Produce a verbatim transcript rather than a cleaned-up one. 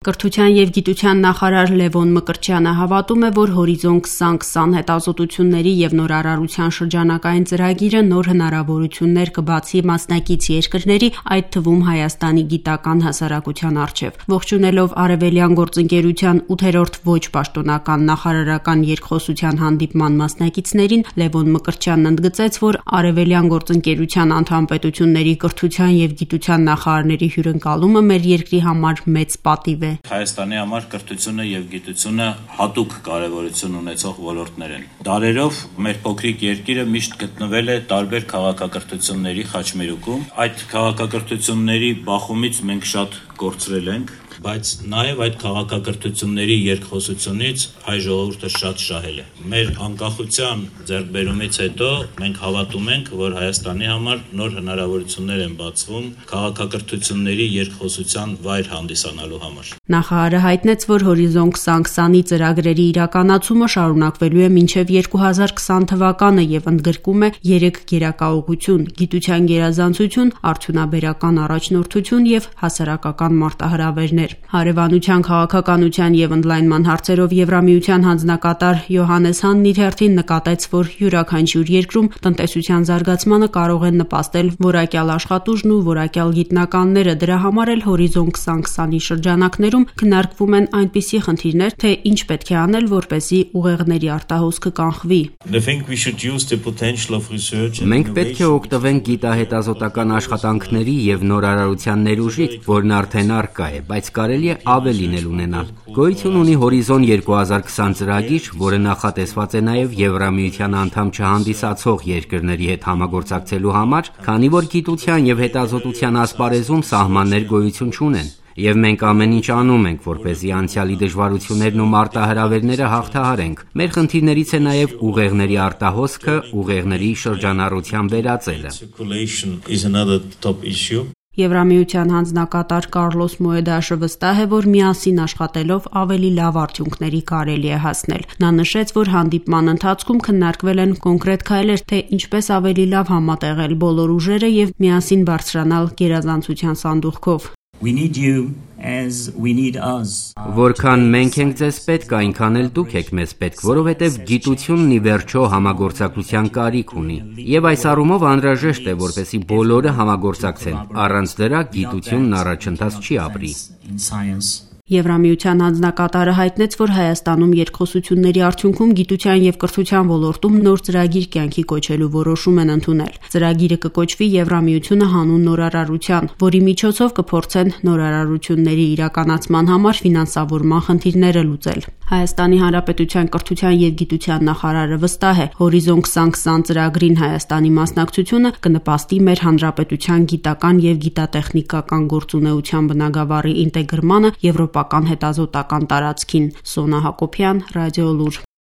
Կրթության և գիտության նախարար Լևոն Մկրտչյանը հավատում է, որ Հորիզոն քսան քսան հետազոտությունների և նորարարության շրջանակային ծրագիրը նոր հնարավորություններ կբացի մասնակից երկրների, այդ թվում Հայաստանի գիտական հասարակության առջև։ Ողջունելով Արևելյան գործընկերության ութերորդ ոչ պաշտոնական նախարարական երկխոսության հանդիպման մասնակիցներին, Լևոն Մկրտչյանն ընդգծեց, որ Արևելյան գործընկերության անդամ պետությունների կրթության և գիտության նախարարների հյուրընկալումը մեր երկրի համար մեծ պատիվ է։ Հայաստանի համար կրթությունը և գիտությունը հատուկ կարևորություն ունեցող ոլորտներ են։ Դարերով մեր փոքրիկ երկիրը միշտ գտնվել է տարբեր քաղաքակրթությունների խաչմերուկում։ Այդ քաղաքակրթությունների բախումից մենք շատ կորցրել ենք, բայց նաև այդ քաղաքակրթությունների երկխոսությունից հայ ժողովուրդը շատ շահել է։ Մեր անկախության ձեռքբերումից հետո մենք հավատում ենք, որ Հայաստանի համար նոր հնարավորություններ են բացվում քաղաքակրթությունների երկխոսության վայր հանդիսանալու համար։ Նախարարը հայտնեց, որ Հորիզոն քսան քսանի ծրագրերի իրականացումը շարունակվելու է մինչև երկու հազար քսան թվականը և ընդգրկում է երեք գերակայողություն՝ գիտության գերազանցություն, արդյունաբերական առաջնորդություն և հասարակական մարտահրավերներ։ Հարևանության, քաղաքականության և ընդլայնման հարցերով Եվրամիության հանձնակատար Յոհաննես Հանն իր հերթին նկատեց, որ յուրաքանչյուր երկրում տնտեսության զարգացմանը կարող են նպաստել որակյալ աշխատուժն ու որակյալ գիտնականները։ Դրա համար էլ Հորիզոն քսան քսանի շրջանակներում քննարկվում են այնպիսի խնդիրներ, թե ինչ պետք է անել, որպեսզի ուղեղների արտահոսքը կանխվի։ Մենք պետք է օգտվենք գիտահետազոտական աշխատանքների և նորարարության ներուժի, որն արդեն առկա է, բայց կարելի է ավելին էլ ունենալ։ Գոյություն ունի Հորիզոն երկու հազար քսան ծրագիր, որը նախատեսված է նաև Եվրամիության անդամ չհանդիսացող երկրների հետ համագործակցելու համար, քանի որ գիտության և հետազոտության ասպարեզում սահմաններ գոյություն չունեն։ Եվ մենք ամեն ինչ անում ենք, որպեսզի անցյալի դժվարություններն ու մարտահրավերները հաղթահարենք։ Մեր խնդիրներից է նաև ուղեղների արտահոսքը, ուղեղների շրջանառության վերածելը։ Եվրամիության հանձնակատար Կառլոս Մոեդաշը վստահ է, որ միասին աշխատելով ավելի լավ արդյունքների կարելի է հասնել։ Նա նշեց, որ հանդիպման ընթացքում քննարկվել են կոնկրետ քայլեր, թե ինչպես ավելի լավ համատեղել բոլոր ուժերը և միասին բարձրանալ գերազանցության սանդուղքով։ Որքան մենք ենք ձեզ պետք, այնքան էլ դուք եք մեզ պետք, որովհետև գիտությունն ի վերջո համագործակցության կարիք ունի։ Եվ այս առումով անհրաժեշտ է, որպեսզի բոլորը համագործակցեն։ Առանց դրա գիտությունն առաջընթաց չի ապրի։ Եվրամիության հանձնակատարը հայտնեց, որ Հայաստանում երկխոսությունների արդյունքում գիտության և կրթության ոլորտում նոր ծրագիր կյանքի կոչելու որոշում են ընդունել։ Ծրագիրը կկոչվի Եվրամիությունը հանուն նորարարության, որի միջոցով կփորձեն նորարարությունների իրականացման համար ֆինանսավորման խնդիրները լուծել։ Հայաստանի Հանրապետության կրթության և գիտության նախարարը վստահ է, Հորիզոն քսան քսան ծրագրին Հայաստանի մասնակցությունը կնպաստի մեր հանրապետության գիտական և գիտատեխնիկական գործունեության բնագավառի ինտեգրմանը եվրոպական հետազոտական տարածքին։ Սոնա Հակոբյան, Ռադիոլուր։